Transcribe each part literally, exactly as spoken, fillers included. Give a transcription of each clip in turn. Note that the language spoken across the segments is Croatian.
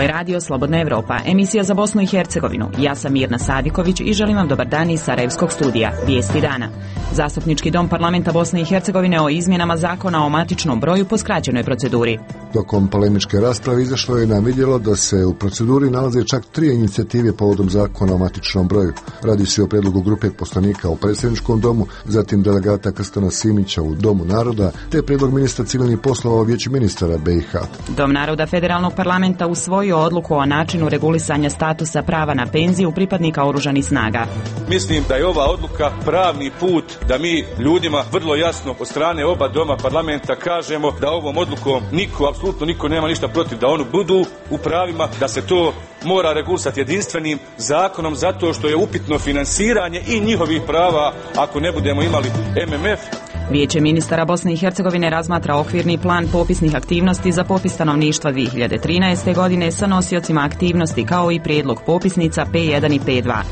je radio Slobodna Evropa, emisija za Bosnu i Hercegovinu. Ja sam Mirna Sadiković i želim vam dobar dan iz Sarajevskog studija. Vijesti dana. Zastupnički dom parlamenta Bosne i Hercegovine o izmjenama zakona o matičnom broju po skraćenoj proceduri. Tokom polemičke rasprave izašlo je na vidjelo da se u proceduri nalaze čak tri inicijative povodom zakona o matičnom broju. Radi se o predlogu grupe poslanika u predsjedničkom domu, zatim delegata Krstana Simića u Domu naroda, te predlog ministra civilnih poslova u Vijeću ministara B i H. Dom naroda Federalnog parlamenta usvojio odluku o načinu regulisanja statusa prava na penziju pripadnika oružanih snaga. Mislim da je ova odluka pravni put da mi ljudima vrlo jasno od strane oba doma parlamenta kažemo da ovom odlukom niko, apsolutno niko nema ništa protiv da oni budu u pravima, da se to mora regulisati jedinstvenim zakonom zato što je upitno finansiranje i njihovih prava ako ne budemo imali M M F. Vijeće ministara Bosne i Hercegovine razmatra okvirni plan popisnih aktivnosti za popis stanovništva dvije hiljade trinaeste. godine sa nosiocima aktivnosti kao i prijedlog popisnica P jedan i P dva.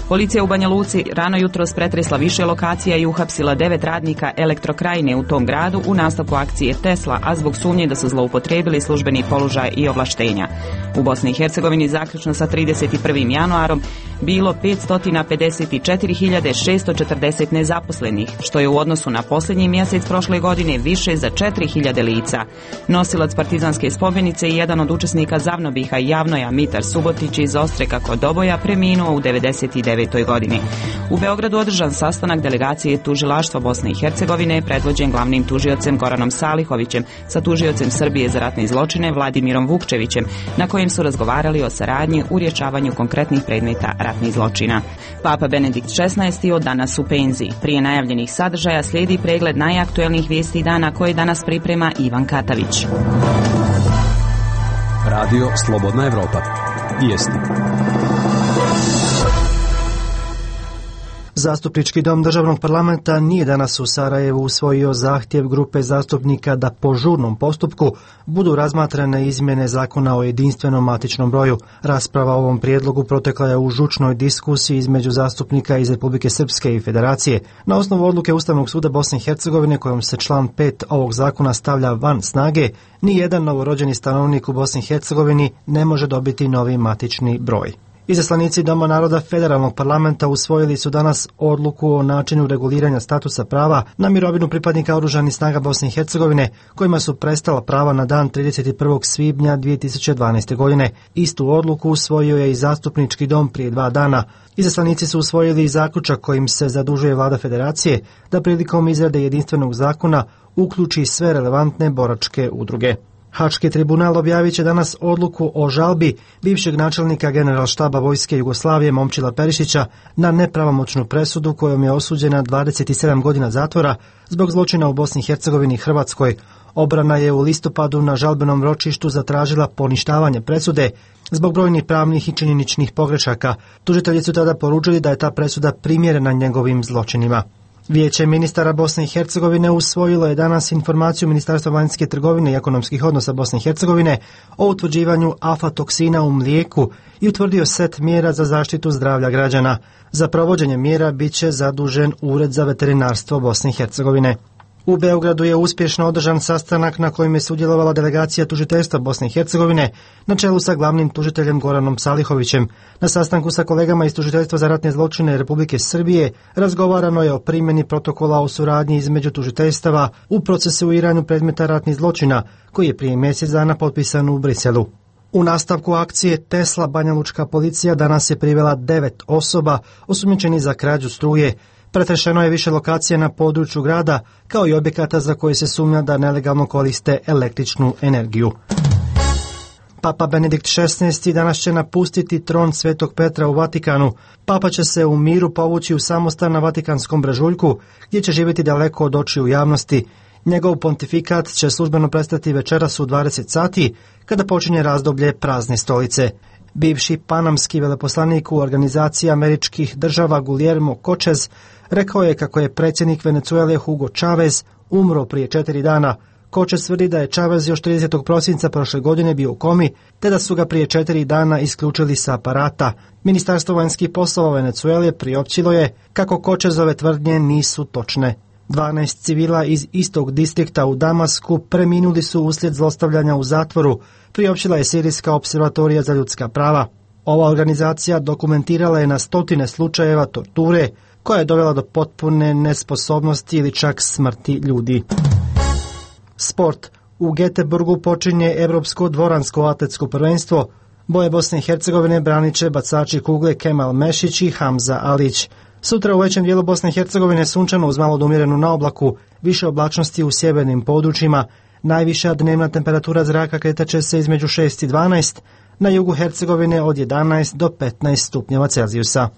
Policija u Banja Luci rano jutros pretresla više lokacija i uhapsila devet radnika Elektrokrajine u tom gradu u nastavku akcije Tesla, a zbog sumnje da su zloupotrijebili službeni položaj i ovlaštenja. U Bosni i Hercegovini zaključno sa trideset prvim januarom bilo petsto pedeset četiri hiljade šesto četrdeset nezaposlenih, što je u odnosu na posljednji mjesec prošle godine više za četiri hiljade lica. Nosilac partizanske spomenice i jedan od učesnika Zavnobiha i Javnoja Mitar Subotić iz Ostreka kod Doboja preminuo u devedeset devetoj. godini. U Beogradu održan sastanak delegacije tužilaštva Bosne i Hercegovine predvođen glavnim tužiocem Goranom Salihovićem sa tužiocem Srbije za ratne zločine Vladimirom Vukčevićem, na kojem su razgovarali o saradnji u rješavanju konkretnih predmeta ratnih zločina. Papa Benedikt šesnaesti. od danas u penziji. Prije najavljenih sadržaja slijedi pregled najaktuelnijih vijesti dana koje danas priprema Ivan Katavić. Radio Slobodna Evropa. Vijesti. Zastupnički dom državnog parlamenta nije danas u Sarajevu usvojio zahtjev grupe zastupnika da po žurnom postupku budu razmatrane izmjene zakona o jedinstvenom matičnom broju. Rasprava o ovom prijedlogu protekla je u žučnoj diskusiji između zastupnika iz Republike Srpske i Federacije. Na osnovu odluke Ustavnog suda Bosne i Hercegovine kojom se član pet ovog zakona stavlja van snage, ni jedan novorođeni stanovnik u Bosni i Hercegovini ne može dobiti novi matični broj. Izaslanici Doma naroda Federalnog parlamenta usvojili su danas odluku o načinu reguliranja statusa prava na mirovinu pripadnika oružanih snaga Bosne i Hercegovine, kojima su prestala prava na dan trideset prvog svibnja dvije tisuće dvanaeste. godine. Istu odluku usvojio je i Zastupnički dom prije dva dana. Izaslanici su usvojili i zaključak kojim se zadužuje vlada Federacije da prilikom izrade jedinstvenog zakona uključi sve relevantne boračke udruge. Haški tribunal objavit će danas odluku o žalbi bivšeg načelnika Generalštaba Vojske Jugoslavije Momčila Perišića na nepravomoćnu presudu kojom je osuđena dvadeset sedam godina zatvora zbog zločina u Bosni i Hercegovini i Hrvatskoj. Obrana je u listopadu na žalbenom ročištu zatražila poništavanje presude zbog brojnih pravnih i činjeničnih pogrešaka. Tužitelji su tada poručili da je ta presuda primjerena njegovim zločinima. Vijeće ministara Bosne i Hercegovine usvojilo je danas informaciju Ministarstva vanjske trgovine i ekonomskih odnosa Bosne i Hercegovine o utvrđivanju aflatoksina u mlijeku i utvrdio set mjera za zaštitu zdravlja građana. Za provođenje mjera bit će zadužen Ured za veterinarstvo Bosne i Hercegovine. U Beogradu je uspješno održan sastanak na kojem je sudjelovala delegacija tužiteljstva Bosne i Hercegovine na čelu sa glavnim tužiteljem Goranom Salihovićem. Na sastanku sa kolegama iz tužiteljstva za ratne zločine Republike Srbije razgovarano je o primjeni protokola o suradnji između tužiteljstava u procesuiranju predmeta ratnih zločina koji je prije mjesec dana potpisan u Briselu. U nastavku akcije Tesla banjalučka policija danas je privela devet osoba osumnjičenih za krađu struje. Pretrešeno je više lokacija na području grada, kao i objekata za koje se sumnja da nelegalno koriste električnu energiju. Papa Benedikt šesnaesti. danas će napustiti tron Svetog Petra u Vatikanu. Papa će se u miru povući u samostan na Vatikanskom brežuljku, gdje će živjeti daleko od očiju javnosti. Njegov pontifikat će službeno prestati večeras u dvadeset sati, kada počinje razdoblje prazne stolice. Bivši panamski veleposlanik u organizaciji američkih država Guillermo Cortez rekao je kako je predsjednik Venezuele Hugo Chávez umro prije četiri dana. Cortez tvrdi da je Chávez još tridesetog prosinca prošle godine bio u komi, te da su ga prije četiri dana isključili sa aparata. Ministarstvo vanjskih poslova Venezuele priopćilo je kako Cortezove tvrdnje nisu točne. dvanaest civila iz istog distrikta u Damasku preminuli su uslijed zlostavljanja u zatvoru, priopćila je Sirijska observatorija za ljudska prava. Ova organizacija dokumentirala je na stotine slučajeva torture, koja je dovela do potpune nesposobnosti ili čak smrti ljudi. Sport. U Göteborgu počinje Evropsko dvoransko atletsko prvenstvo. Boje Bosne i Hercegovine branit će bacači kugle Kemal Mešić i Hamza Alić. Sutra u većem dijelu Bosne i Hercegovine sunčano uz malo odumjerenu na oblaku, više oblačnosti u sjevernim područjima. Najviša dnevna temperatura zraka kretat će se između šest i dvanaest, na jugu Hercegovine od jedanaest do petnaest stupnjeva Celzijusa.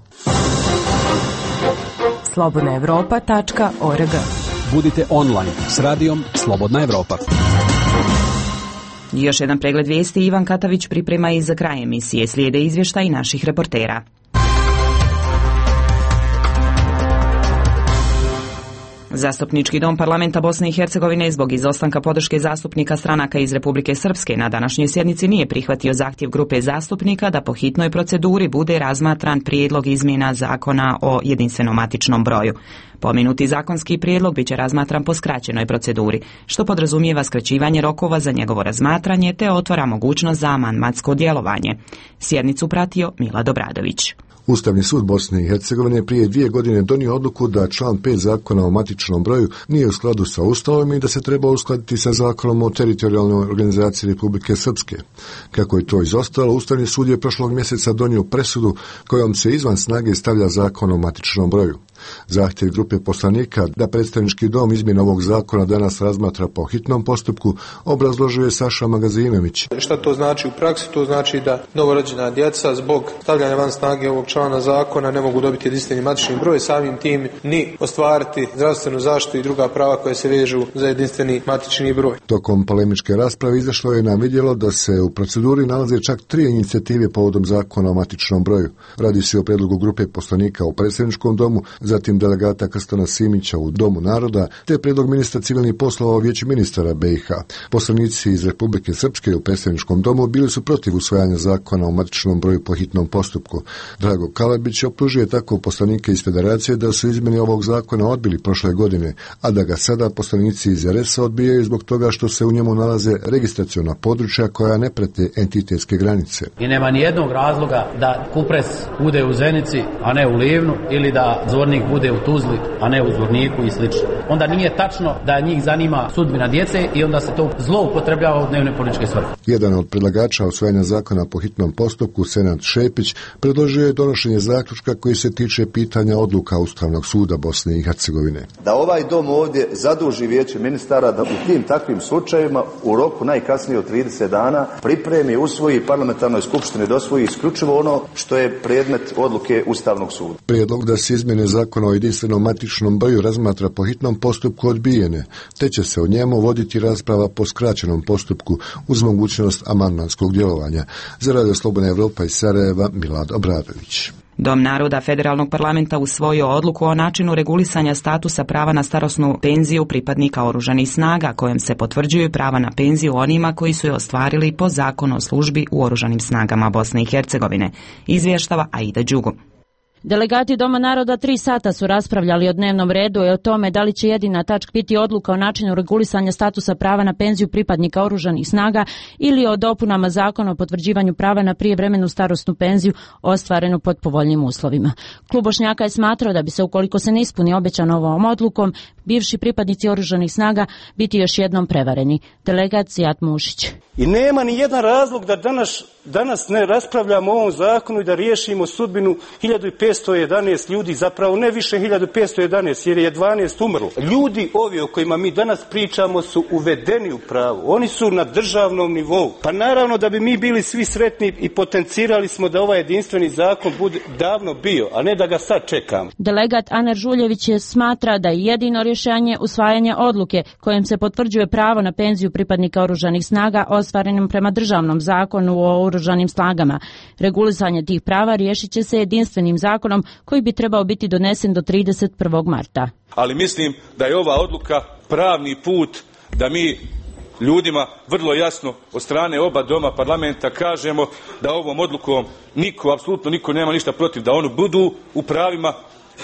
slobodna evropa tačka org. Budite online s radijom Slobodna Evropa. Još jedan pregled vijesti Ivan Katavić priprema i za kraj emisije. Slijede izvještaj naših reportera. Zastupnički dom parlamenta Bosne i Hercegovine zbog izostanka podrške zastupnika stranaka iz Republike Srpske na današnjoj sjednici nije prihvatio zahtjev grupe zastupnika da po hitnoj proceduri bude razmatran prijedlog izmjena zakona o jedinstvenom matičnom broju. Pomenuti zakonski prijedlog biće razmatran po skraćenoj proceduri, što podrazumijeva skraćivanje rokova za njegovo razmatranje te otvara mogućnost za amandmansko djelovanje. Sjednicu pratio Milad Obradović. Ustavni sud Bosne i Hercegovine prije dvije godine donio odluku da član pet zakona o matičnom broju nije u skladu sa Ustavom i da se treba uskladiti sa zakonom o teritorijalnoj organizaciji Republike Srpske. Kako je to izostalo, Ustavni sud je prošlog mjeseca donio presudu kojom se izvan snage stavlja zakon o matičnom broju. Zahtjev grupe poslanika da predstavnički dom izmjene ovog zakona danas razmatra po hitnom postupku obrazložio je Saša Magazinović. Šta to znači u praksi? To znači da novorođena djeca zbog stavljanja van snage ovog člana zakona ne mogu dobiti jedinstveni matični broj, samim tim ni ostvariti zdravstvenu zaštitu i druga prava koje se vežu za jedinstveni matični broj. Tokom polemičke rasprave izašlo je na vidjelo da se u proceduri nalaze čak tri inicijative povodom zakona o matičnom broju. Radi se o predlogu grupe poslanika u predsjedničkom domu, zatim delegata Krstana Simića u Domu naroda, te predlog ministra civilnih poslova u Vijeću ministara B i H. Poslanici iz Republike Srpske u predsjedničkom domu bili su protiv usvajanja zakona o matičnom broju po hitnom postupku. Drago Kalabić optužuje tako poslanike iz Federacije da su izmjene ovog zakona odbili prošle godine, a da ga sada poslanici iz R S-a odbijaju zbog toga što se u njemu nalaze registraciona područja koja ne prate entitetske granice. I nema ni jednog razloga da Kupres bude u Zenici, a ne u Livnu, ili da Zvornik bude u Tuzli, a ne u Zvorniku i slično. Onda nije tačno da njih zanima sudbina djece i onda se to zloupotrebljava u dnevne političke svrhe. Jedan od predlagača usvajanja zakona po hitnom postupku, Senad Šepić, predložio je donošenje zaključka koji se tiče pitanja odluka Ustavnog suda Bosne i Hercegovine. Da ovaj dom ovdje zaduži Vijeće ministara da u tim takvim slučajevima u roku najkasnije od trideset dana pripremi, usvoji parlamentarnoj skupštini da usvoji isključivo ono što je predmet odluke Ustavnog suda. Prijedlog da se izmjene zakona o jedinstvenom matičnom broju razmatra po hitnom postupku odbijene, te će se o njemu voditi rasprava po skraćenom postupku uz mogućnost amandmanskog djelovanja. Za Radio Slobodna Evropa iz Sarajeva, Milad Obradović. Dom naroda Federalnog parlamenta usvojio odluku o načinu regulisanja statusa prava na starosnu penziju pripadnika oružanih snaga, kojom se potvrđuju prava na penziju onima koji su je ostvarili po zakonu o službi u oružanim snagama Bosne i Hercegovine. Izvještava Aida Đugo. Delegati Doma naroda tri sata su raspravljali o dnevnom redu i o tome da li će jedina tačka biti odluka o načinu regulisanja statusa prava na penziju pripadnika oružanih snaga ili o dopunama zakona o potvrđivanju prava na prijevremenu starosnu penziju ostvarenu pod povoljnim uslovima. Klub Bošnjaka je smatrao da bi se, ukoliko se ne ispuni obećano ovom odlukom, bivši pripadnici oružanih snaga biti još jednom prevareni. Delegat Zijat Mušić. I nema ni jedan razlog da danas, danas ne raspravljamo o ovom zakonu i da riješimo sudbinu hiljadu petsto jedanaest ljudi, zapravo ne više hiljadu petsto jedanaest jer je dvanaest umrlo. Ljudi ovi o kojima mi danas pričamo su uvedeni u pravo. Oni su na državnom nivou. Pa naravno da bi mi bili svi sretni i potencirali smo da ovaj jedinstveni zakon bude davno bio, a ne da ga sad čekamo. Delegat Aner Žuljević je smatra da je jedino rješenje usvajanje odluke kojim se potvrđuje pravo na penziju pripadnika oružanih snaga ostvarenim prema državnom zakonu o oružanim snagama. Regulisanje tih prava riješit će se jedinstvenim zakonom koji bi trebao biti donesen do trideset prvog marta. Ali mislim da je ova odluka pravni put da mi ljudima vrlo jasno od strane oba doma parlamenta kažemo da ovom odlukom niko, apsolutno niko nema ništa protiv da oni budu u pravima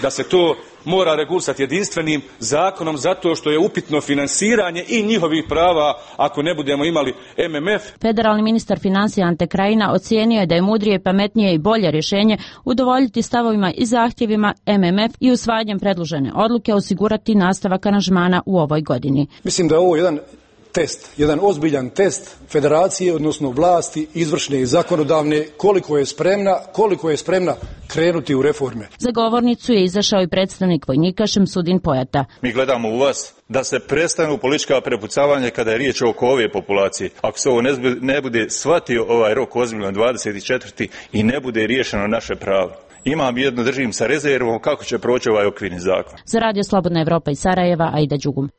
da se to mora regulisati jedinstvenim zakonom zato što je upitno finansiranje i njihovih prava ako ne budemo imali M M F. Federalni ministar financija Ante Krajina ocijenio je da je mudrije, pametnije i bolje rješenje udovoljiti stavovima i zahtjevima M M F i usvajanjem predložene odluke osigurati nastavak aranžmana u ovoj godini. Mislim da je ovo jedan test, jedan ozbiljan test federacije, odnosno vlasti izvršne i zakonodavne, koliko je spremna, koliko je spremna krenuti u reforme. Za govornicu je izašao i predstavnik vojnika Šemsudin Pojata. Mi gledamo u vas da se prestanu politička prepucavanja kada je riječ oko ove populacije. Ako se ovo ne bude shvatio ovaj rok ozbiljno dvadeset četvrti i ne bude riješeno naše pravo. Imam jedno, držim sa rezervom kako će proći ovaj okvirni zakon. Za Radio Slobodna Evropa iz Sarajeva, Aida Đugum.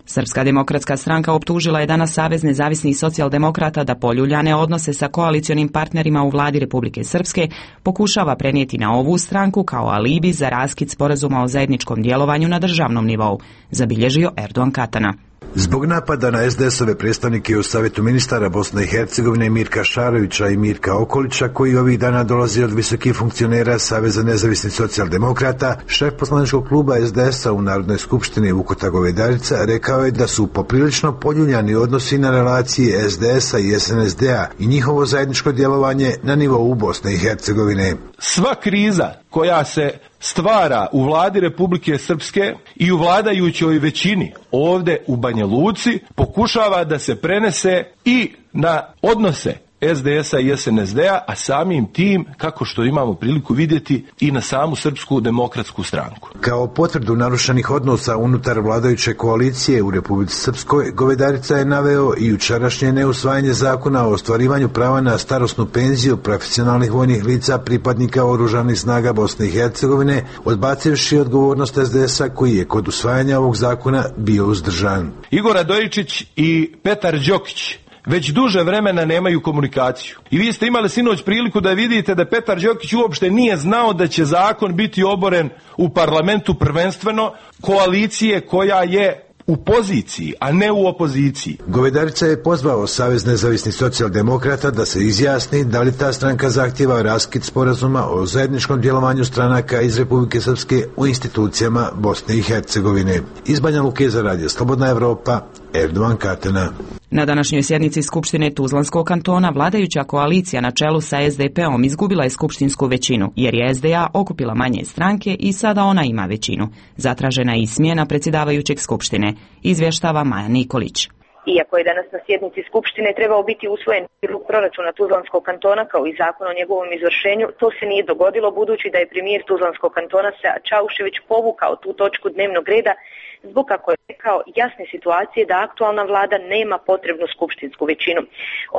Srpska demokratska stranka optužila je danas Savez nezavisnih socijaldemokrata da poljuljane odnose sa koalicionim partnerima u vladi Republike Srpske pokušava prenijeti na ovu stranku kao alibi za raskid sporazuma o zajedničkom djelovanju na državnom nivou, zabilježio Erdogan Katana. Zbog napada na es de es-ove predstavnike u Savjetu ministara Bosne i Hercegovine Mirka Šarovića i Mirka Okolića, koji ovih dana dolazi od visokih funkcionera Saveza nezavisnih socijaldemokrata, šef poslaničkog kluba es de es-a u Narodnoj skupštini Vukota Govedarica rekao je da su poprilično poljuljani odnosi na relacije es de es-a i es en es de-a i njihovo zajedničko djelovanje na nivou Bosne i Hercegovine. Sva kriza koja se stvara u vladi Republike Srpske i u vladajućoj većini ovdje u Banja Luci pokušava da se prenese i na odnose es de es-a i es en es de-a, a samim tim, kako što imamo priliku vidjeti, i na samu Srpsku demokratsku stranku. Kao potvrdu narušenih odnosa unutar vladajuće koalicije u Republici Srpskoj, Govedarica je naveo i jučerašnje neusvajanje zakona o ostvarivanju prava na starosnu penziju profesionalnih vojnih lica pripadnika oružanih snaga Bosne i Hercegovine, odbacivši odgovornost es de es-a koji je kod usvajanja ovog zakona bio uzdržan. Igor Radojičić i Petar Đokić već duže vremena nemaju komunikaciju. I vi ste imali sinoć priliku da vidite da Petar Đokić uopšte nije znao da će zakon biti oboren u parlamentu prvenstveno koalicije koja je u poziciji, a ne u opoziciji. Govedarica je pozvao Savez nezavisnih socijaldemokrata da se izjasni da li ta stranka zahtjeva raskid sporazuma o zajedničkom djelovanju stranaka iz Republike Srpske u institucijama Bosne i Hercegovine. Iz Banja Luke za Radio Slobodna Evropa, Erdogan Katana. Na današnjoj sjednici Skupštine Tuzlanskog kantona vladajuća koalicija na čelu sa es de pe-om izgubila je skupštinsku većinu, jer je es de a okupila manje stranke i sada ona ima većinu. Zatražena je i smjena predsjedavajućeg Skupštine, izvještava Maja Nikolić. Iako je danas na sjednici Skupštine trebao biti usvojen prijedlog proračuna Tuzlanskog kantona kao i zakon o njegovom izvršenju, to se nije dogodilo budući da je premijer Tuzlanskog kantona Sead Čaušević povukao tu točku dnevnog reda zbog, kako je rekao, jasne situacije da aktualna vlada nema potrebnu skupštinsku većinu.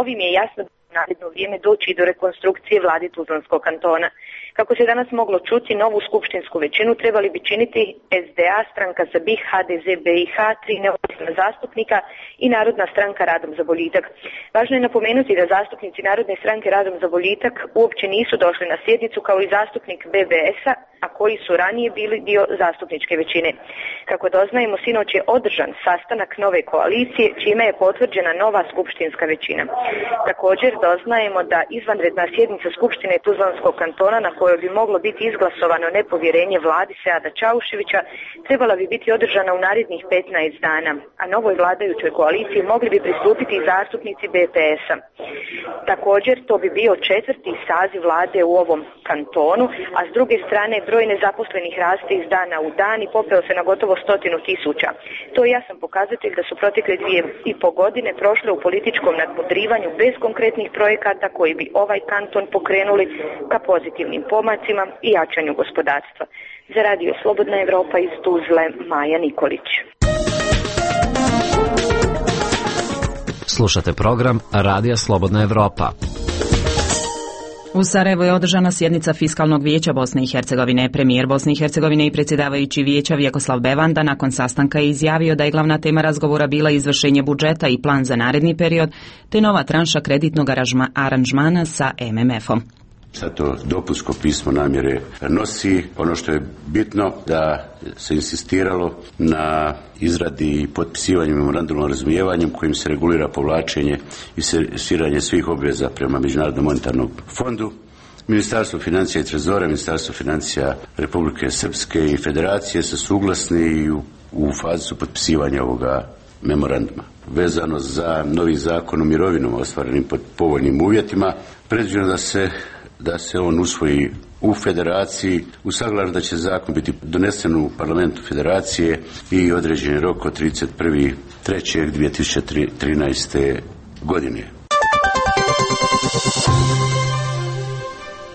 Ovim je jasno da u naredno vrijeme doći do rekonstrukcije vladi Tuzlanskog kantona. Kako se danas moglo čuti, novu skupštinsku većinu trebali bi činiti es de a, Stranka za BiH, ha de ze be i ha, tri neovisna zastupnika i Narodna stranka Radom za boljitak. Važno je napomenuti da zastupnici Narodne stranke Radom za boljitak uopće nisu došli na sjednicu kao i zastupnik be be es-a, a koji su ranije bili dio zastupničke većine. Kako doznajemo, sinoć je održan sastanak nove koalicije, čime je potvrđena nova skupštinska većina. Također doznajemo da izvanredna sjednica Skupštine Tuzlanskog kantona, na kojoj bi moglo biti izglasovano nepovjerenje vladi Seada Čauševića, trebala bi biti održana u narednih petnaest dana, a novoj vladajućoj koaliciji mogli bi pristupiti i zastupnici be pe es-a. Također, to bi bio četvrti saziv vlade u ovom kantonu, a s druge strane broj nezaposlenih raste iz dana u dan i popeo se na gotovo stotinu tisuća. To je jasan pokazatelj da su protekle dvije i po godine prošle u političkom nadmudrivanju bez konkretnih projekata koji bi ovaj kanton pokrenuli ka pozitivnim pomacima i jačanju gospodarstva. Za Radio Slobodna Evropa iz Tuzle, Maja Nikolić. Slušate program Radija Slobodna Evropa. U Sarajevu je održana sjednica Fiskalnog vijeća Bosne i Hercegovine. Premijer Bosne i Hercegovine i predsjedavajući vijeća Vjekoslav Bevanda nakon sastanka je izjavio da je glavna tema razgovora bila izvršenje budžeta i plan za naredni period, te nova tranša kreditnog aranžmana sa em em efom. Zato dopunsko pismo namjere nosi. Ono što je bitno da se insistiralo na izradi i potpisivanju memoranduma o razumijevanju kojim se regulira povlačenje i servisiranje svih obveza prema Međunarodnom monetarnom fondu. Ministarstvo financija i trezora, Ministarstvo financija Republike Srpske i Federacije su suglasni i u, u fazi su potpisivanja ovoga memoranduma. Vezano za novi zakon o mirovinama ostvarenim pod povoljnim uvjetima, predviđeno da se, da se on usvoji u Federaciji, usaglašeno da će zakon biti donesen u parlamentu Federacije i određen rok od trideset prvog trećeg dvije tisuće trinaeste. godine.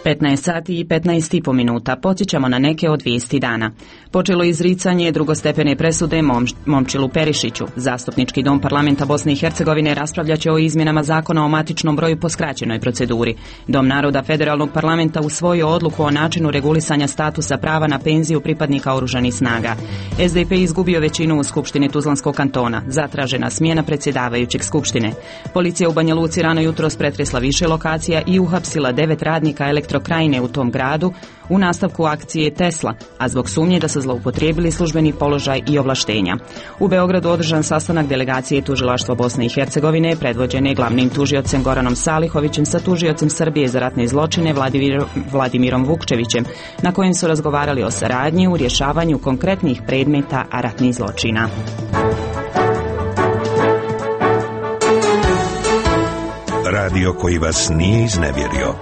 petnaest sati i petnaest i po minuta. Podsjećamo na neke od vijesti dana. Počelo izricanje drugostepene presude Momč, Momčilu Perišiću. Zastupnički dom parlamenta Bosne i Hercegovine raspravljaće o izmjenama zakona o matičnom broju po skraćenoj proceduri. Dom naroda federalnog parlamenta usvojio odluku o načinu regulisanja statusa prava na penziju pripadnika oružanih snaga. S D P izgubio većinu u Skupštini Tuzlanskog kantona. Zatražena smjena predsjedavajućeg Skupštine. Policija u Banja Luci rano jutros pretresla više lokacija i uhapsila devet radnika elektrokrajine u tom gradu u nastavku akcije Tesla, a zbog sumnje da su zloupotrijebili službeni položaj i ovlaštenja. U Beogradu održan sastanak delegacije Tužilaštva Bosne i Hercegovine predvođene glavnim tužiocem Goranom Salihovićem sa tužiocem Srbije za ratne zločine Vladimir, Vladimirom Vukčevićem, na kojem su razgovarali o saradnji u rješavanju konkretnih predmeta ratnih zločina. Radio koji vas nije iznevjerio.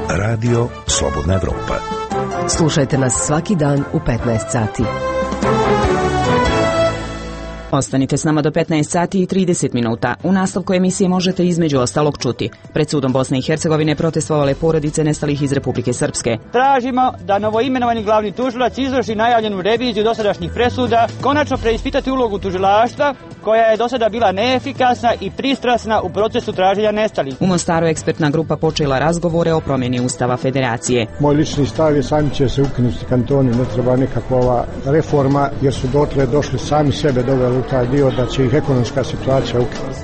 Radio Slobodna Evropa. Slušajte nas svaki dan u petnaest sati. Ostanite s nama do petnaest sati i trideset minuta. U nastavku emisije možete između ostalog čuti. Pred sudom Bosne i Hercegovine protestovale porodice nestalih iz Republike Srpske. Tražimo da novoimenovani glavni tužilac izvrši najavljenu reviziju dosadašnjih presuda, konačno preispitati ulogu tužilaštva koja je do sada bila neefikasna i pristrasna u procesu traženja nestalih. U Mostaru ekspertna grupa počela razgovore o promjeni Ustava Federacije. Moj lični stav je sami će se ukinuti kantoni, ne treba nikakva ova reforma jer su dotle došli sami sebe doveli u taj dio da će ih ekonomska situacija ukinuti.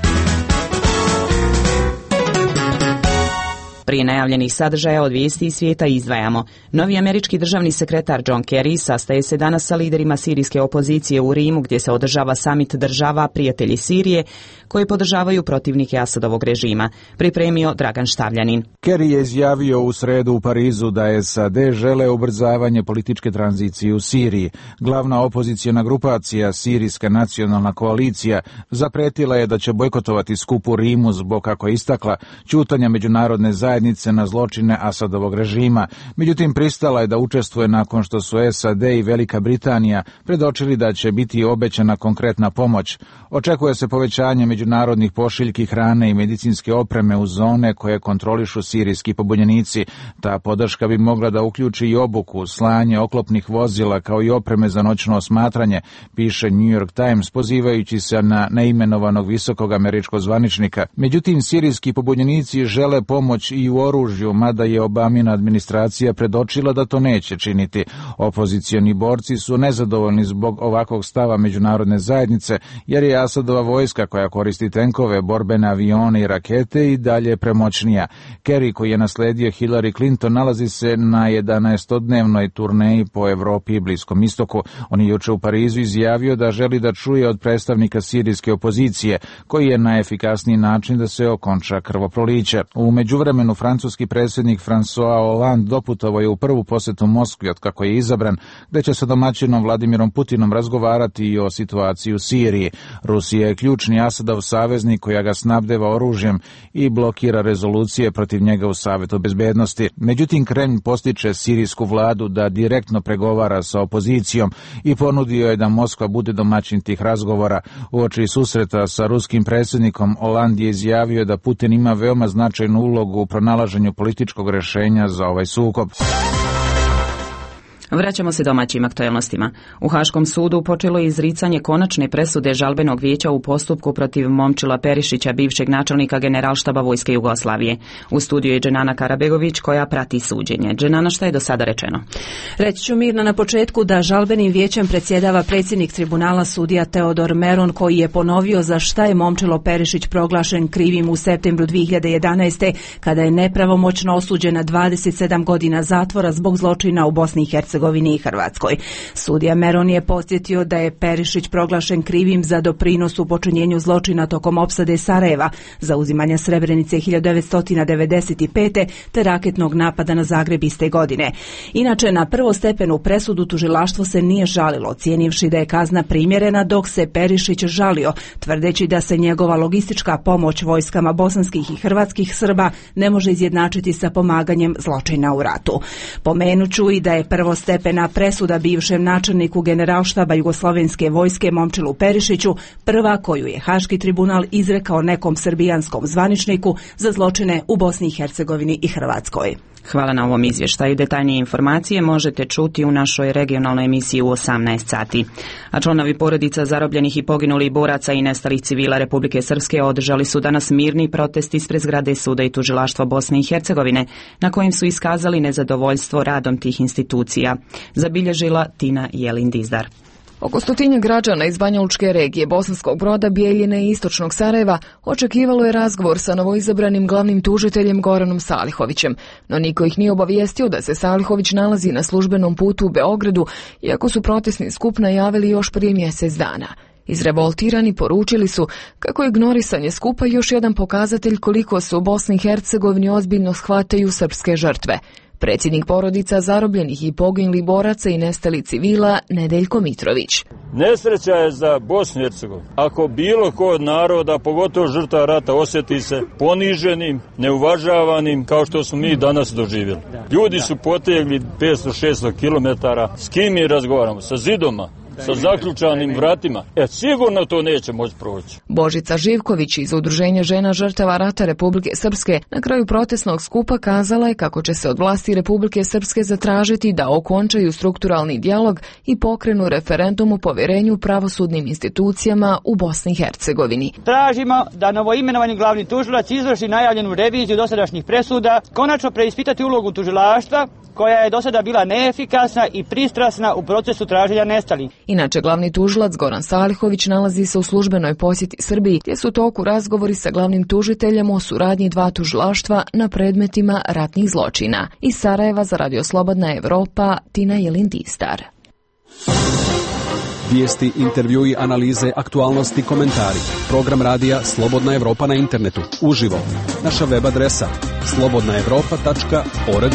Prije najavljenih sadržaja od vijesti iz svijeta izdvajamo. Novi američki državni sekretar John Kerry sastaje se danas sa liderima sirijske opozicije u Rimu gdje se održava samit država prijatelji Sirije koji podržavaju protivnike Asadovog režima. Pripremio Dragan Štavljanin. Kerry je izjavio u sredu u Parizu da S A D žele ubrzavanje političke tranzicije u Siriji. Glavna opozicijona grupacija, Sirijska nacionalna koalicija, zapretila je da će bojkotovati skup u Rimu zbog, kako je istakla, ćutanja međunarodne zajednice na zločine Asadovog režima. Međutim, pristala je da učestvuje nakon što su S A D i Velika Britanija predočili da će biti obećana konkretna pomoć. Očekuje se povećanje međunarodnih pošiljki hrane i medicinske opreme u zone koje kontrolišu sirijski pobunjenici. Ta podrška bi mogla da uključi i obuku, slanje oklopnih vozila kao i opreme za noćno osmatranje, piše New York Times pozivajući se na neimenovanog visokog američkog zvaničnika. Međutim, sirijski pobunjenici žele pomoć i u oružju, mada je Obamina administracija predočila da to neće činiti. Opozicioni borci su nezadovoljni zbog ovakvog stava međunarodne zajednice, jer je Asadova vojska koja koristi tenkove, borbene avione i rakete i dalje premoćnija. Kerry, koji je nasledio Hillary Clinton, nalazi se na jedanaestodnevnoj turneji po Evropi i Bliskom istoku. On je juče u Parizu izjavio da želi da čuje od predstavnika sirijske opozicije, koji je najefikasniji način da se okonča krvoproliće. U međuvremenu francuski predsjednik François Hollande doputovao je u prvu posjetu Moskvi od kako je izabran, gdje će sa domaćinom Vladimirom Putinom razgovarati i o situaciji u Siriji. Rusija je ključni Asadov saveznik koja ga snabdeva oružjem i blokira rezolucije protiv njega u Savetu bezbednosti. Međutim, Kremlj postiče sirijsku vladu da direktno pregovara sa opozicijom i ponudio je da Moskva bude domaćin tih razgovora. Uoči susreta sa ruskim predsjednikom Hollande je izjavio da Putin ima veoma značajnu ulogu u pronalaženju političkog rješenja za ovaj sukob. Vraćamo se domaćim aktualnostima. U Haškom sudu počelo je izricanje konačne presude žalbenog vijeća u postupku protiv Momčila Perišića, bivšeg načelnika Generalštaba Vojske Jugoslavije. U studiju je Dženana Karabegović koja prati suđenje. Dženana, šta je do sada rečeno? Reći ću Mirna na početku da žalbenim vijećem predsjedava predsjednik tribunala sudija Teodor Meron, koji je ponovio za šta je Momčilo Perišić proglašen krivim u septembru dvije hiljade jedanaeste. kada je nepravomoćno osuđen na dvadeset sedam godina zatvora zbog zločina u Bosni i Hercegovini Hercegovini i Hrvatskoj. Sudija Meron je podsjetio da je Perišić proglašen krivim za doprinos u počinjenju zločina tokom opsade Sarajeva, zauzimanja Srebrenice hiljadu devetsto devedeset pete te raketnog napada na Zagreb iste godine. Inače, na prvostepenu presudu tužilaštvo se nije žalilo, ocijenivši da je kazna primjerena, dok se Perišić žalio, tvrdeći da se njegova logistička pomoć vojskama bosanskih i hrvatskih Srba ne može izjednačiti sa pomaganjem zločina u ratu. Pomenuću i da je prvostepena presuda bivšem načelniku Generalštaba Jugoslovenske vojske Momčilu Perišiću prva koju je Haški tribunal izrekao nekom srbijanskom zvaničniku za zločine u Bosni i Hercegovini i Hrvatskoj. Hvala na ovom izvještaju. Detaljnije informacije možete čuti u našoj regionalnoj emisiji u osamnaest sati. A članovi porodica zarobljenih i poginulih boraca i nestalih civila Republike Srpske održali su danas mirni protest ispred zgrade Suda i tužilaštva Bosne i Hercegovine, na kojim su iskazali nezadovoljstvo radom tih institucija. Zabilježila Tina Jelin-Dizdar. Oko stotinja građana iz Banjalučke regije, Bosanskog Broda, Bijeljine i Istočnog Sarajeva očekivalo je razgovor sa novoizabranim glavnim tužiteljem Goranom Salihovićem, no niko ih nije obavijestio da se Salihović nalazi na službenom putu u Beogradu, iako su protestni skup najavili još prije mjesec dana. Izrevoltirani poručili su kako je ignorisanje skupa još jedan pokazatelj koliko se u Bosni i Hercegovini ozbiljno shvataju srpske žrtve. Predsjednik porodica zarobljenih i poginulih boraca i nestali civila Nedeljko Mitrović. Nesreća je za Bosnu i Hercegovinu. Ako bilo ko od naroda, pogotovo žrtva rata, osjeti se poniženim, neuvažavanim, kao što smo mi danas doživjeli. Ljudi su potegli petsto do šesto kilometara. S kim mi razgovaramo? Sa zidoma? Sa zaključanim vratima. E, sigurno to neće moći proći. Božica Živković iz Udruženja žena žrtava rata Republike Srpske na kraju protestnog skupa kazala je kako će se od vlasti Republike Srpske zatražiti da okončaju strukturalni dijalog i pokrenu referendum o povjerenju pravosudnim institucijama u Bosni i Hercegovini. Tražimo da novoimenovani glavni tužilac izvrši najavljenu reviziju dosadašnjih presuda, konačno preispitati ulogu tužilaštva, koja je do sada bila neefikasna i pristrasna u procesu traženja nestalih. Inače, glavni tužilac Goran Salihović nalazi se u službenoj posjeti Srbiji, gdje su u toku razgovori sa glavnim tužiteljem o suradnji dva tužilaštva na predmetima ratnih zločina. Iz Sarajeva za Radio Slobodna Evropa, Tina Jelin-Dizdar. Vijesti, intervjui, analize, aktualnosti, komentari. Program radija Slobodna Evropa na internetu, uživo. Naša web adresa slobodna evropa tačka org.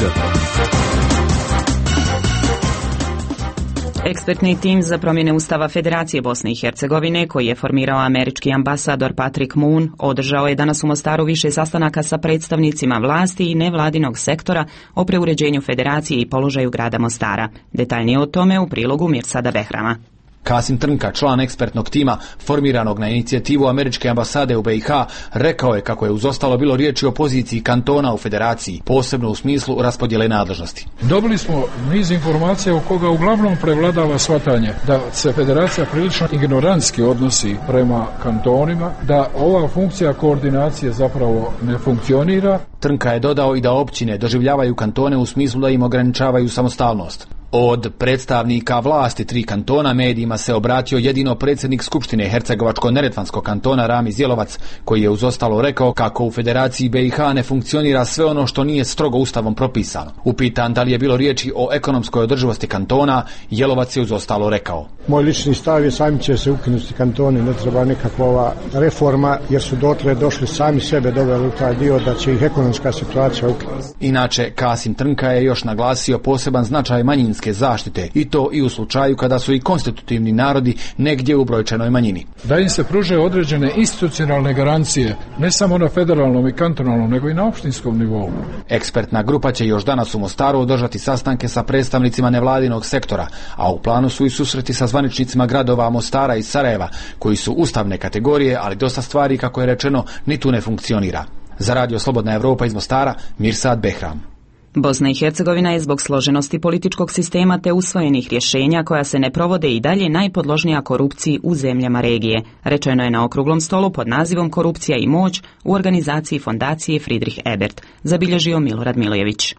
Ekspertni tim za promjene Ustava Federacije Bosne i Hercegovine, koji je formirao američki ambasador Patrick Moon, održao je danas u Mostaru više sastanaka sa predstavnicima vlasti i nevladinog sektora o preuređenju Federacije i položaju grada Mostara. Detaljnije o tome u prilogu Mirsada Behrama. Kasim Trnka, član ekspertnog tima formiranog na inicijativu američke ambasade u B i H, rekao je kako je uz ostalo bilo riječi o poziciji kantona u federaciji, posebno u smislu raspodjele nadležnosti. Dobili smo niz informacija u koga uglavnom prevladava shvatanje da se federacija prilično ignorantski odnosi prema kantonima, da ova funkcija koordinacije zapravo ne funkcionira. Trnka je dodao i da općine doživljavaju kantone u smislu da im ograničavaju samostalnost. Od predstavnika vlasti tri kantona medijima se obratio jedino predsjednik Skupštine Hercegovačko-neretvanskog kantona Ramiz Jelovac, koji je uz ostalo rekao kako u Federaciji B i H ne funkcionira sve ono što nije strogo ustavom propisano. Upitan da li je bilo riječi o ekonomskoj održivosti kantona, Jelovac je uz ostalo rekao: Moj lični stav je sami će se ukinuti kantoni, ne treba nikakva ova reforma, jer su dotle došli sami sebe doveli u taj dio da će ih ekonomska situacija ukinuti. Inače, Kasim Trnka je još naglasio poseban značaj manjinske zaštite, i to i u slučaju kada su i konstitutivni narodi negdje u brojčanoj manjini. Da im se pruže određene institucionalne garancije, ne samo na federalnom i kantonalnom, nego i na opštinskom nivou. Ekspertna grupa će još danas u Mostaru održati sastanke sa predstavnicima nevladinog sektora, a u planu su i susreti sa zvaničnicima gradova Mostara i Sarajeva, koji su ustavne kategorije, ali dosta stvari, kako je rečeno, ni tu ne funkcionira. Za Radio Slobodna Evropa iz Mostara, Mirsad Behram. Bosna i Hercegovina je zbog složenosti političkog sistema te usvojenih rješenja koja se ne provode i dalje najpodložnija korupciji u zemljama regije. Rečeno je na okruglom stolu pod nazivom Korupcija i moć u organizaciji fondacije Friedrich Ebert, zabilježio Milorad Milojević.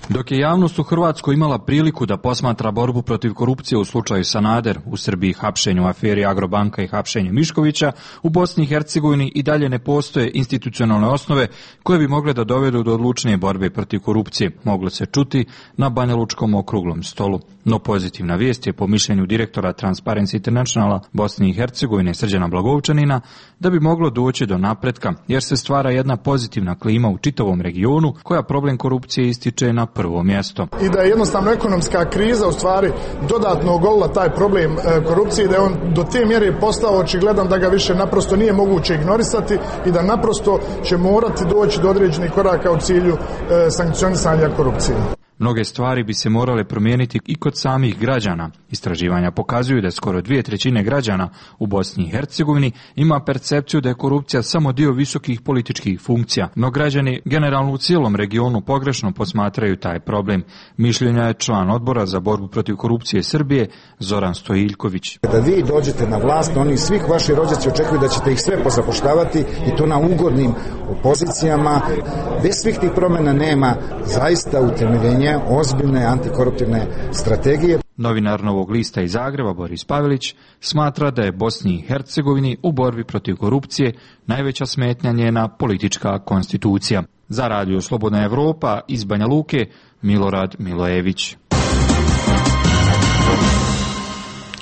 Dok je javnost u Hrvatskoj imala priliku da posmatra borbu protiv korupcije u slučaju Sanader, u Srbiji hapšenju u aferi Agrobanka i hapšenju Miškovića, u Bosni i Hercegovini i dalje ne postoje institucionalne osnove koje bi mogle da dovedu do odlučnije borbe protiv korupcije, moglo se čuti na Banjalučkom okruglom stolu. No pozitivna vijest je po mišljenju direktora Transparency Internationala Bosne i Hercegovine Srđana Blagovčanina da bi moglo doći do napretka, jer se stvara jedna pozitivna klima u čitavom regionu koja problem korupcije ističe na prvo mjesto. I da je jednostavno ekonomska kriza u stvari dodatno ogolila taj problem korupcije, da je on do te mjere postao očigledan da ga više naprosto nije moguće ignorisati i da naprosto će morati doći do određenih koraka u cilju sankcionisanja korupcije. Mnoge stvari bi se morale promijeniti i kod samih građana. Istraživanja pokazuju da skoro dvije trećine građana u Bosni i Hercegovini ima percepciju da je korupcija samo dio visokih političkih funkcija, no građani generalno u cijelom regionu pogrešno posmatraju taj problem. Mišljenja je član odbora za borbu protiv korupcije Srbije Zoran Stojiljković. Kada vi dođete na vlast, oni svih vaši rođaci očekuju da ćete ih sve pozapoštavati i to na ugodnim pozicijama. Bez svih tih promjena nema zaista utemeljenja ozbiljne antikoruptivne strategije. Novinar Novog lista iz Zagreba Boris Pavelić smatra da je Bosni i Hercegovini u borbi protiv korupcije najveća smetnja njena politička konstitucija. Za Radio Slobodna Evropa iz Banja Luke Milorad Milojević.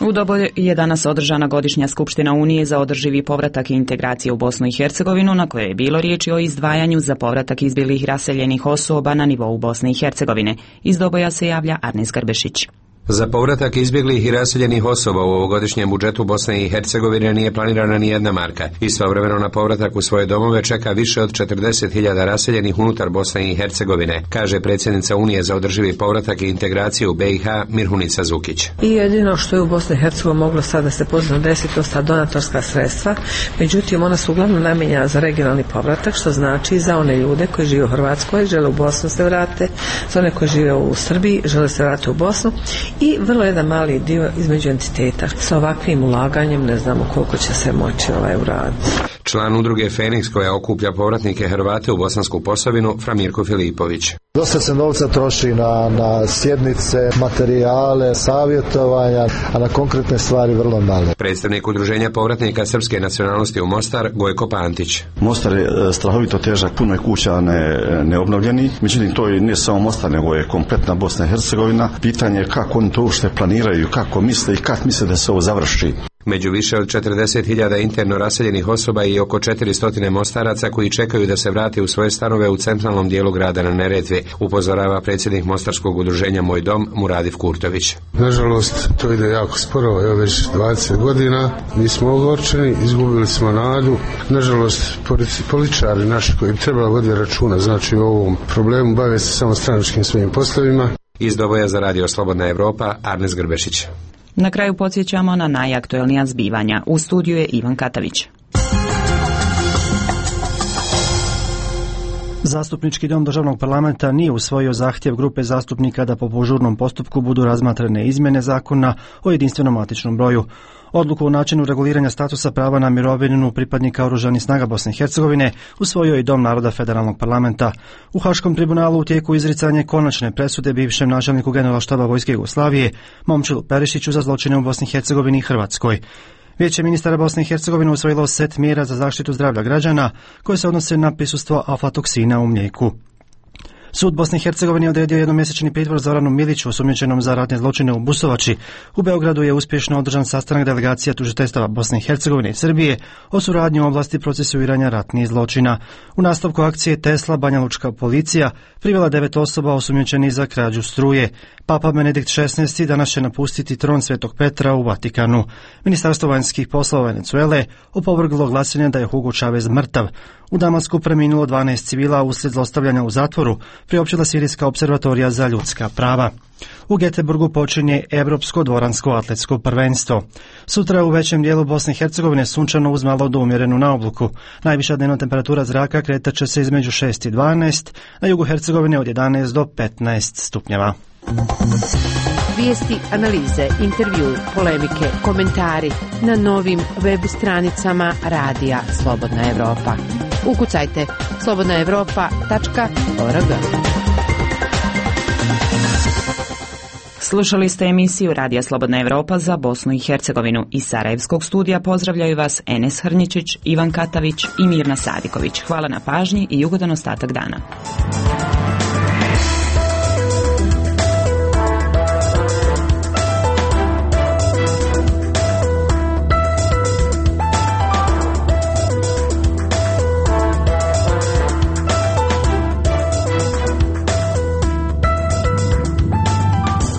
U Dobolju je danas održana godišnja skupština Unije za održivi povratak i integraciju u Bosnu i Hercegovinu, na kojoj je bilo riječi o izdvajanju za povratak izbjeglih raseljenih osoba na nivou Bosne i Hercegovine. Iz Doboja se javlja Arnis Grbešić. Za povratak izbjeglih i raseljenih osoba u ovogodišnjem budžetu Bosne i Hercegovine nije planirana ni jedna marka. Istovremeno na povratak u svoje domove čeka više od četrdeset hiljada raseljenih unutar Bosne i Hercegovine, kaže predsjednica Unije za održivi povratak i integraciju B i H Mirhunica Zukić. I jedino što je u Bosni i Hercegovini moglo sada se pozivno desiti, to sta donatorska sredstva, međutim ona su uglavnom namijenjena za regionalni povratak, što znači za one ljude koji žive u Hrvatskoj, žele u Bosnu se vrate, za one koji žive u Srbiji, žele se vratiti u Bosnu. I vrlo jedan mali dio između entiteta. Sa ovakvim ulaganjem ne znamo koliko će se moći ovaj uraditi. Član udruge Feniks koja okuplja povratnike Hrvate u Bosansku Posavinu, Framirko Filipović. Dosta se novca troši na, na sjednice, materijale, savjetovanja, a na konkretne stvari vrlo malo. Predstavnik udruženja povratnika srpske nacionalnosti u Mostar, Gojko Pantić. Mostar je strahovito težak, puno je kuća ne, neobnovljeni, međutim to je ne samo Mostar, nego je kompletna Bosna i Hercegovina. Pitanje je kako oni to uopšte planiraju, kako misle i kako misle da se ovo završi. Među više od četrdeset hiljada interno raseljenih osoba i oko četiristo Mostaraca koji čekaju da se vrate u svoje stanove u centralnom dijelu grada na Neretvi, upozorava predsjednik Mostarskog udruženja Moj dom Muradif Kurtović. Nažalost, to ide jako sporo, evo već dvadeset godina, mi smo ogorčeni, izgubili smo nadu. Nažalost, političari naši koji bi trebali voditi računa, znači o ovom problemu, bave se samo stranačkim svojim poslovima. Iz Doboja za Radio Slobodna Evropa, Arnes Grbešić. Na kraju podsjećamo na najaktuelnija zbivanja. U studiju je Ivan Katavić. Zastupnički dom državnog parlamenta nije usvojio zahtjev grupe zastupnika da po požurnom postupku budu razmatrane izmjene zakona o jedinstvenom matičnom broju. Odluku o načinu reguliranja statusa prava na mirovinu pripadnika Oružanih snaga Bosne i Hercegovine usvojio je i Dom naroda federalnog parlamenta. U Haškom tribunalu u tijeku izricanje konačne presude bivšem načelniku generalštaba Vojske Jugoslavije Momčilu Perišiću za zločine u Bosni i Hercegovini i Hrvatskoj. Vijeće ministara Bosne i Hercegovine usvojilo set mjera za zaštitu zdravlja građana koje se odnose na prisustvo aflatoksina u mlijeku. Sud Bosne i Hercegovine je odredio jednomjesečni pritvor Zoranu Miliću, osumnjičenom za ratne zločine u Busovači. U Beogradu je uspješno održan sastanak delegacija tužiteljstava Bosne i Hercegovine i Srbije o suradnji u oblasti procesuiranja ratnih zločina. U nastavku akcije Tesla Banjalučka policija privela devet osoba osumnjičenih za krađu struje. Papa Benedikt šesnaesti danas će napustiti tron Svetog Petra u Vatikanu. Ministarstvo vanjskih poslova Venezuele opovrglo glasine da je Hugo Chavez mrtav. U Damasku preminulo dvanaest civila uslijed zlostavljanja u zatvoru, priopćila Sirijska observatorija za ljudska prava. U Göteborgu počinje Europsko dvoransko atletsko prvenstvo. Sutra u većem dijelu Bosne i Hercegovine sunčano uz malo do umjerenu naobluku. Najviša dnevna temperatura zraka kretat će se između šest i dvanaest, na jugu Hercegovine od jedanaest do petnaest stupnjeva. Vijesti, analize, intervju, polemike, komentari na novim web stranicama Radija Slobodna Evropa. Ukucajte slobodna evropa tačka org. Slušali ste emisiju Radija Slobodna Evropa za Bosnu i Hercegovinu. Iz Sarajevskog studija pozdravljaju vas Enes Hrnjičić, Ivan Katavić i Mirna Sadiković. Hvala na pažnji i ugodan ostatak dana.